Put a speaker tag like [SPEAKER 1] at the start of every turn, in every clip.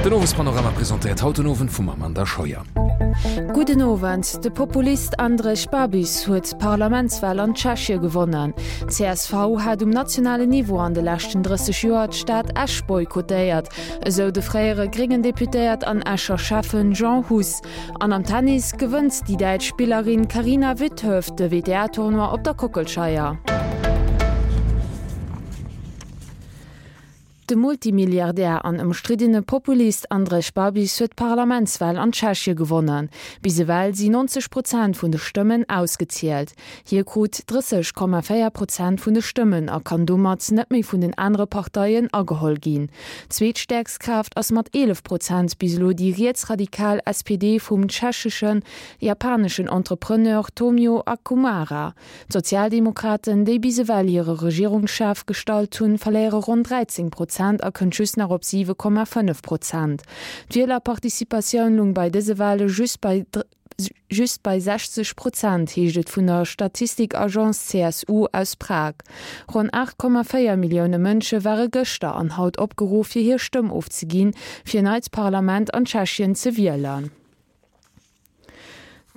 [SPEAKER 1] Den Owespanorama presentéiert haut den Owend vum Amanda Scheuer.
[SPEAKER 2] Gudden Owend. De Populist Andrej Babis huet d'Parlamentswal an Tschechie gewonnen. Csv hat um nationalen Niveau an de leschten 30 Joer d'Stad Esch boykottéiert, esou de fréiere gréngen Deputéiert an Escher Schäffen Jean Huss. An am Tennis gewënnt déi däitsch Spillerin Carina Witthöft de WTA-Tournoi op der Kockelscheier. De Multimilliardär an ëmstriddene Populist Andrej Babis huet d'Parlamentswal an Tschechie gewonnen. Bis ewell si 90 Prozent vun de Stëmmen ausgezielt. Hie krut 30,4 Prozent vun de Stëmmen a kann domat net méi vun den anere Parteien ageholl ginn. Zweetstäerkst Kraaft ass mat 11 Prozent bis elo déi rietsradikal SPD vum tschecheschen japaneschen Entrepreneur Tomio Akumara. D'Sozialdemokraten, déi bis ewell hire Regierungschef gestallt hunn, verléiere ronn 13 Prozent a kënnt just nach op 7,5 Prozent. D'Wielerparticipatioun lung bei dëse Wale just bei just bei 60 Prozent, heescht et vun der Statistikagence CSU aus Prag. Ronn 8,4 Millioune Mënsche ware gëschter an haut opgeruff, fir hir Stëmm ofzeginn, fir en neit Parlament an Tschechien ze wielen.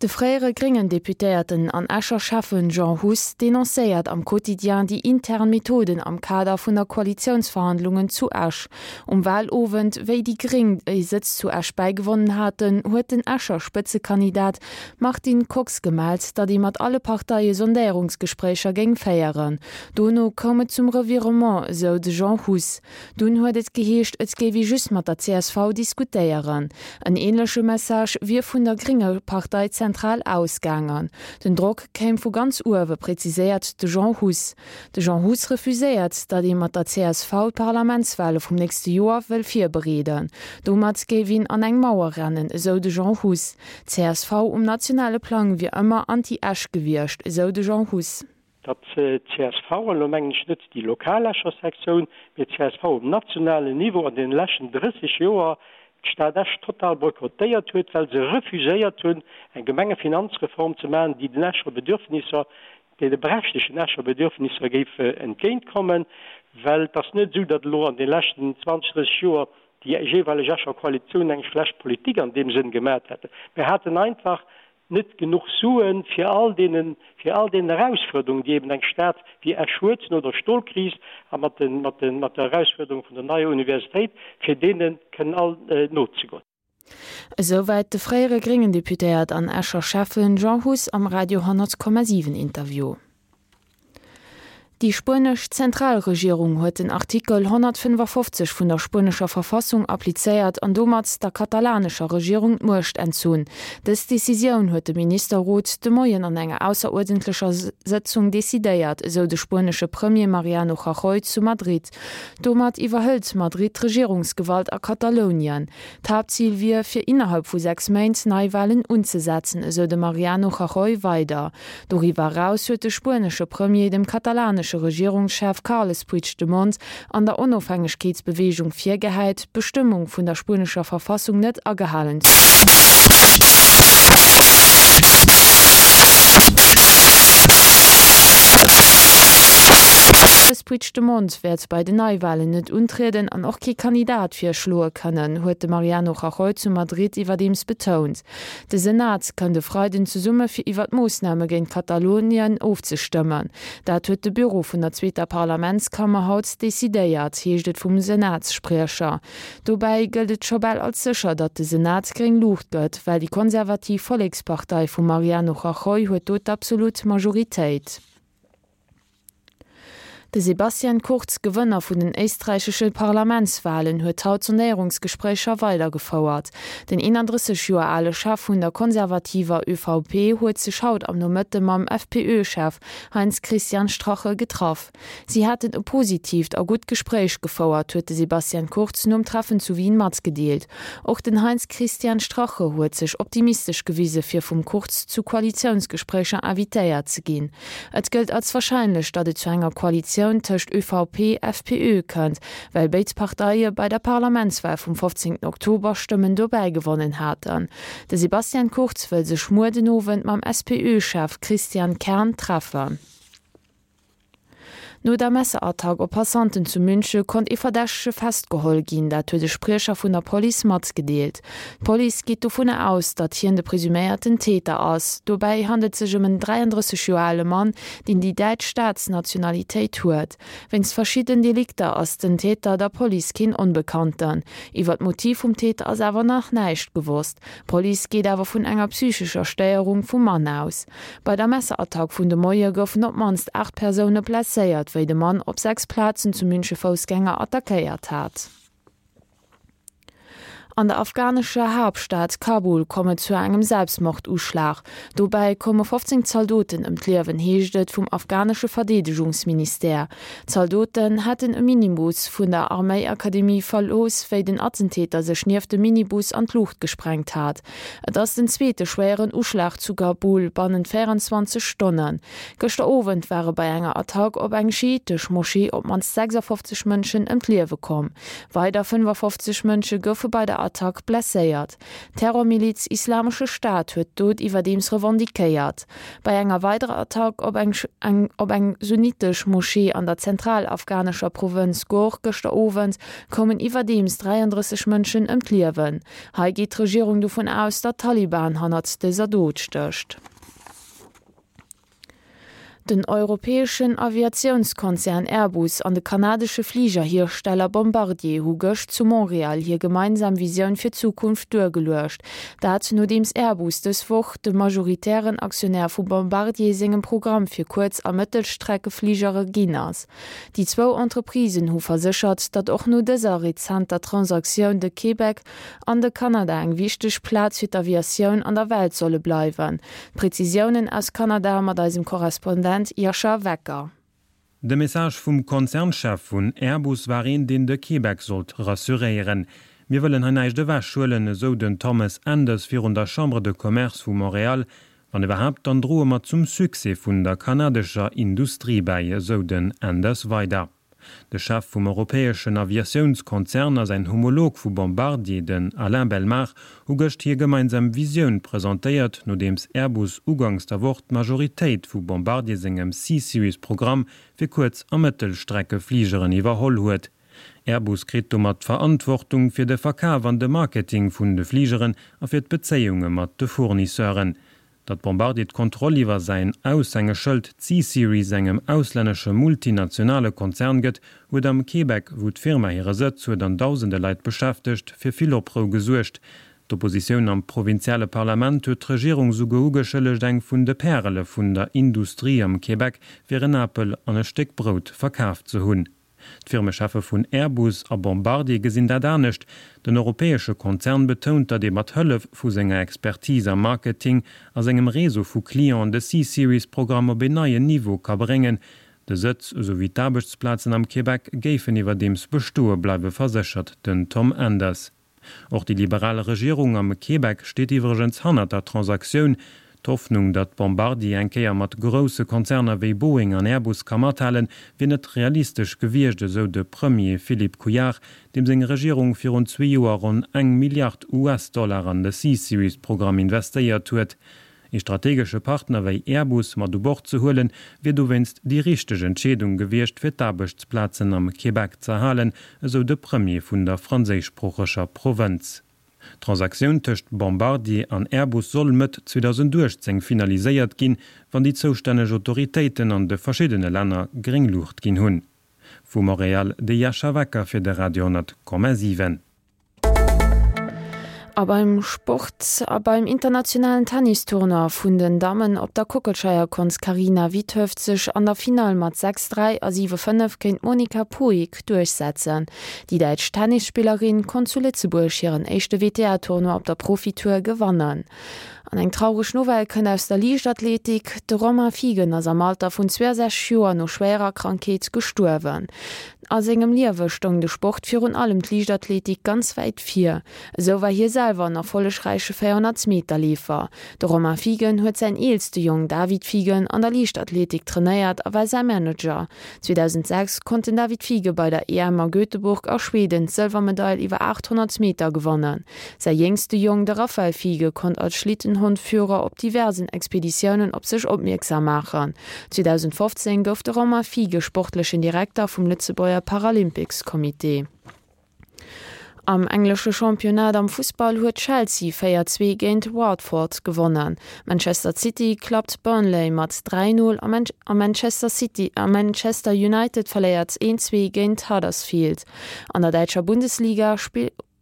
[SPEAKER 2] De fréiere gréngen Deputéierten an Escher Schäffen Jean Huss denoncéiert am Quotidien déi intern Methoden am Kader vun der Koalitiounsverhandlungen zu Esch. Um Wahlowend, wéi déi Gréng e Sëtz zu Esch bäigewonnen haten, huet den Escher Spëtzekandidat Martin Kox gemellt, datt ee mat alle Parteie Sondéierungsgespréicher géing féieren. Dono koum et zum Revirement, esou de Jean Huss. Dunn huet et geheescht, et géif ee just mat der csv diskutéieren. En änleche Message wier vun der grénge Partei zentral ausgaangen. Den Drock kéim vu ganz uewe, präziséiert de Jean Huss. De Jean Huss refuséiert, datt ee mat der csv d'Parlamentswale vum nächste Joer wëll virbereeden. Domat géif een an eng Mauer rennen, esou de Jean Huss. Csv um nationale Plang wier ëmmer anti-Esch gewiescht, esou de Jean Huss.
[SPEAKER 3] Datt d'CSV, an elo mengen ech net déi lokal Escher Sektioun, mee d'CSV um nationalen Niveau an deene leschten 30 Joer d'Stad Esch total boykottéiert huet, well se refuséiert hunn, eng Gemengefinanzreform ze maachen, déi den Escher Bedürfnisser, deene berechtegten Escher Bedürfnisser géif entgéintkommen. Well et ass net esou, datt elo an de leschten 20, 30 Joer déi jeeweileg Escher Koalitioun eng schlecht Politik an deem Sënn gemaat hätten. Mir haten einfach net genuch Suen, fir all deenen, fir all deenen Erausfuerderungen, déi eben eng Stad wéi Esch huet, no der Stolkris a mat den, mat den, mat der Erausfuerderung vun der neier Universitéit, fir deene kënnen all nozegoen.
[SPEAKER 2] Esouwäit de fréiere gréngen Deputéiert an Escher Schäffen Jean Huss am Radio 10,7 Interview. Déi spuenesch Zentralregierung huet den Artikel 155 vun der spuenescher Verfassung applizéiert an domat der katalanescher Regierung d'Muecht entzunn. Dës Decisioun huet de Ministerrot de Moien an enger ausseruerdentlecher Sëtzung decidéiert, esou de spuenesche Premier Mariano Rajoy zu Madrid. Domat iwwerhëlt Madrid d'Regierungsgewalt a Katalounien. D'Haaptzil wier, fir innerhalb vu 6 Méint Neiwalen unzesetzen, esou de Mariano Rajoy weider. Doriwwer eraus huet de spuenesche Premier dem katalanesche Regierungschef Carles Puigdemont an der Onofhängegkeetsbeweegung virgehäit, d'Bestëmmung vun der spuenescher Verfassung net agehalen ze Carles Puigdemont wäert bei den Neiwalen net untrieden an och kee Kandidat virschloe kënnen, huet de Mariano Rajoy zu Madrid iwwerdeems betount. De Senat kënnt e Freiden zesumme fir iwwer d'Moossname géint Katalounien ofzestëmmen. Dat huet de Büro vun der zweeter Parlamentskammer haut decidéiert, heescht et vum Senatsspriecher. Dobäi gëllt et scho bal als sécher, datt de Senat gréng Luucht gëtt, well déi konservativ Vollekspartei vum Mariano Rajoy huet do d'absolut Majoritéit. De Sebastian Kurz, Gewënner vun den éisträichesche Parlamentswalen, huet haut Sondéierungsgespréicher weidergefouert. Den 31 Joer ale Chef vun der konservativer ÖVP huet sech haut am Nomëtte mam FPÖ-Chef Heinz-Christian Strache getraff. Si hätten e positiivt a gutt Gespréich gefouert, huet de Sebastian Kurz nom Treffen zu Wien matgedeelt. Och den Heinz-Christian Strache huet sech optimistesch gewise fir vum Kurz zu Koalitiounsgespréicher invitéiert ze ginn. Et gëllt als warscheinlech, datt et zu enger Koalitioun tëscht ÖVP-FPÖ kënnt, well béid Parteie bei der Parlamentswal vum 15 Oktober Stëmmen dobäi gewonnen haten. De Sebastian Kurz wëll sech muer den Owend mam SPÖ-Chef Christian Kern treffen. No der Messerattack op Passanten zu Münche konnt ee Verdächtege festgeholl ginn, dat huet e Spriecher vun der Police matgedeelt. D'Police geet dovunner aus, datt hien de presuméierten Täter ass. Dobäi handelt sech ëm en 33 Joer ale Mann, deen déi däitsch Staatsnationalitéit huet. Wéinst verschidden Delikter ass den Täter der Police keen Onbekannten. Iwwer d'Motiv vum Täter ass awer nach näischt gewosst. D'Police geet awer vun enger psychescher Stéierung vum Mann aus. Bei der Messerattack vun de Moie goufen op d'mannst 8 Persoune blesséiert, wéi de Mann op 6 Plazen zu Münche Foussgänger attackéiert hat. An der afghanescher Haaptstad Kabul koum et zu engem Selbstmorduschlag. Dobäi koume 15 Zaldoten ëm d'Liewen, heescht et vum afghanesche Verdeedegungsministère. D'Zaldoten hätten e Minibus vun der Arméiakademie verlooss, wéi den Attentäter sech nieft dem Minibus an d'Luucht gesprengt hat. Et ass den zweete schwéieren Uschlag zu Kabul bannent 24 Stonnen. Gëschter Owend ware bei enger Attack op eng schiitesch Moschee op d'mannst 56 Mënschen ëm d'Liewe komm. Weider 55 Mënsche goufe bei der Attack blesséiert. D'Terrormiliz Islamesche Staat huet d'Dot iwwerdeems revendiquéiert. Bei enger weiderer Attack op eng op eng sunnitesch Moschee an der zentralafghanescher Provënz Ghor gëschter Owend koumen iwwerdeems 33 Mënschen ëm d'Liewen. Hei geet d'Regierung dovun aus, datt d'Taliban hannert dëser Dot stécht. Den europäeschen Aviatiounskonzern Airbus an de kanadesche Fligerhiersteller Bombardier hu gëscht zu Montreal hir gemeinsam Visioun fir d'Zukunft duergeluecht. Dat nodeems Airbus dës Woch de majoritären Aktionär vu Bombardier sengem Programm fir Kuerz a Mëttelstreckefligere ginn ass. Déi zwou Entreprisen hu verséchert, datt och no dëser rezenter Transaktioun de Québec an de Kanada eng wichteg Plaz fir d'Aviatioun an der Welt solle bleiwen. D'Prezisiounen aus Kanada mat eisem Korrespondent Jascha Wecker.
[SPEAKER 4] De Message vum Konzernchef vun Airbus war een, deen de Québec sollt rassuréieren. Mir wëllen hei näischt ewechhuelen, esou den Thomas Enders virun der Chambre de Commerce vu Montréal. Wann iwwerhaapt, dann droe mer zum Succès vun der kanadescher Industrie bäi, esou den Enders weider. De Chef vum europäeschen Aviatiounskonzern a säin Homolog vu Bombardier, den Alain Bellemare, hu gëscht hir gemeinsam Visioun presentéiert, nodeems Airbus uganks der Woch d'Majoritéit vu Bombardier sengem C-Series-Programm fir Kuerz a Mëttelstreckefligeren iwwerholl huet. Airbus kritt domat d'Verantwortung fir de Verkaf an de Marketing vun de Fligeren a fir d'Bezéiunge mat de Fournisseuren. Datt Bombardier d'Kontroll iwwer säin Aushängeschëld C-Series engem auslännesche multinationale Konzern gëtt, huet am Québec, wou d'Firma hire Sëtz huet an dausende Leit beschäftegt, fir vill Oprou gesuergt. D'Oppositioun am provinziale Parlament huet d'Regierung souguer ugeschëllegt, eng vun de Pärele vun der Industrie am Québec fir en Apel an e Stéck Brout verkaf ze hunn. D'Firmecheffe vun Airbus a Bombardier gesinn dat anescht. Den europäesche Konzern betount, datt ee mat Hëllef vu senger Expertise am Marketing a sengem Réseau vu Clienten de C-Series-Programm op een neien Niveau ka bréngen. De Sëtz esou wéi d'Aarbechtsplazen am Québec géifen iwwerdeems bestoe bleiwe, verséchert den Tom Enders. Och déi liberal Regierung am Québec steet iwwregens hannert der Transaktioun. D'Hoffnung, datt Bombardier eng Kéier mat grousse Konzerner wéi Boeing an Airbus ka mathalen, wier net realistesch gewiescht, esou de Premier Philippe Couillard, deem seng Regierung virun zwee Joer ronn eng Milliard US-Dollar an de C-Series-Programm investéiert huet. Ee strategesche Partner wéi Airbus mat u Bord ze huelen, wier dowéinst déi richteg Entscheedung gewiescht, fir d'Aarbechtsplazen am Québec z'erhalen, esou de Premier vun der franséischsproocheger Provënz. D'Transaktioun tëscht Bombardier an Airbus soll Mëtt 2018 finaliséiert ginn, wann déi zoustänneg Autoritéiten an de verschiddene Länner gréng Luucht ginn hunn. Vu Montréal, de Jascha Wecker fir de Radio 10,7.
[SPEAKER 2] A beim Sport a beim internationalen Tennistournoi vun den Dammen op der Kockelscheier konnt d'Carina Witthöft sech an der Finall mat 6, 3 a 7, 5 géint d'Monika Puig duerchsetzen. Déi däitsch Tennisspillerin konnt zu Lëtzebuerg hiren éischte WTA-Tournoi op der Profitour gewannen. An eng traureg Nouvelle kënnt aus der Liichtathletik, De Romain Fiegen ass am Alter vun 62 Joer no schwéierer Krankheet gestuerwen. A sengem Liewe stoung de Sport, virun allem d'Liichtathletik, ganz wäit vir. Esou war hie selwer en erfollegräiche 400 Meter Leefer. De Romain Fiegen huet säin eelste Jong David Fiegen an der Liichtathletik trainéiert a war säi Manager. 2006 konnt den David Fiege bei der EM a Göteborg a Schweden d'Sëlwermedail iwwer 800 Meter gewannen. Säi jéngste Jong, de Raphael Fiege, konnt als Schlittenhondführer op diversen Expeditiounen op sech opmierksam maachen. 2015 gouf de Romain Fiege sportlechen Direkter vum Lëtzebuerger Paralympics-Comité. Am englesche Championnat am Fussball huet Chelsea 4, 2 géint Watford gewonnen. Manchester City klappt Burnley mat 3, 0 a Manchester City a Manchester United verléiert 1, 2 géint Huddersfield. An der däitscher Bundesliga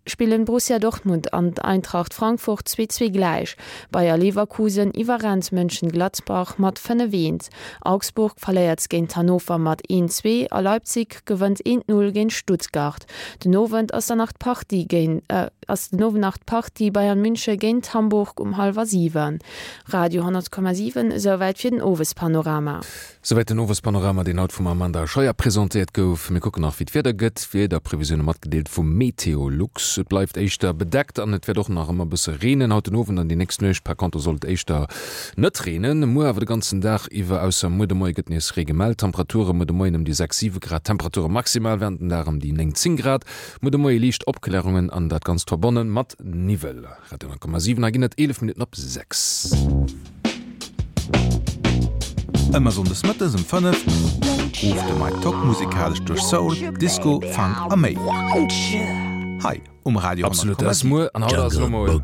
[SPEAKER 2] spillen Borussia Dortmund an Eintracht Frankfurt 2, 2 gläich. Bayer Leverkusen iwwerrennt Mönchengladbach mat 5, 1. Augsburg verléiert géint Hannover mat 1, 2 a Leipzig gewënnt 1, 0 géint Stuttgart. Den Owend ass dann nach d'Partie géint ass den Owend nach d'Partie Bayern München géint Hamburg um hallwer 7. Radio 10,7 Esouwäit fir den Owespanorama.
[SPEAKER 1] Souwäit den Owespanorama, deen haut vum Amanda Scheuer presentéiert gouf. Mir kucken nach wéi d'Wieder gëtt. Wiederprevisioune matgedeelt vu Meteolux. Et bleift éischter bedeckt an et wäert och nach ëmmer e bësse reenen. Haut den Owend an déi nächst Nuecht par contre soll et éischter net reenen. Muer awer de ganzen Dag iwwer, ausser muer de Moie gëtt nees Ree gemellt. Temperature muer de Moien ëm déi 6, 7 Grad, Temperature maximal wärend den Dag ëm déi 9, 10 Grad. Muer de Moie liicht Opklärungen an dat Ganzt verbonne mat Niwwel. Radio 10,7 Hei ginn et 11 Minutten op 6.
[SPEAKER 5] Ëmmer Sonndes mëttes um 5 rooft de Mike Tock musikalesch duerch Soul, Disco, Funk a méi. Hei um Radio
[SPEAKER 1] 10,7. Absolut, dat ass muer an haut ass elo mol.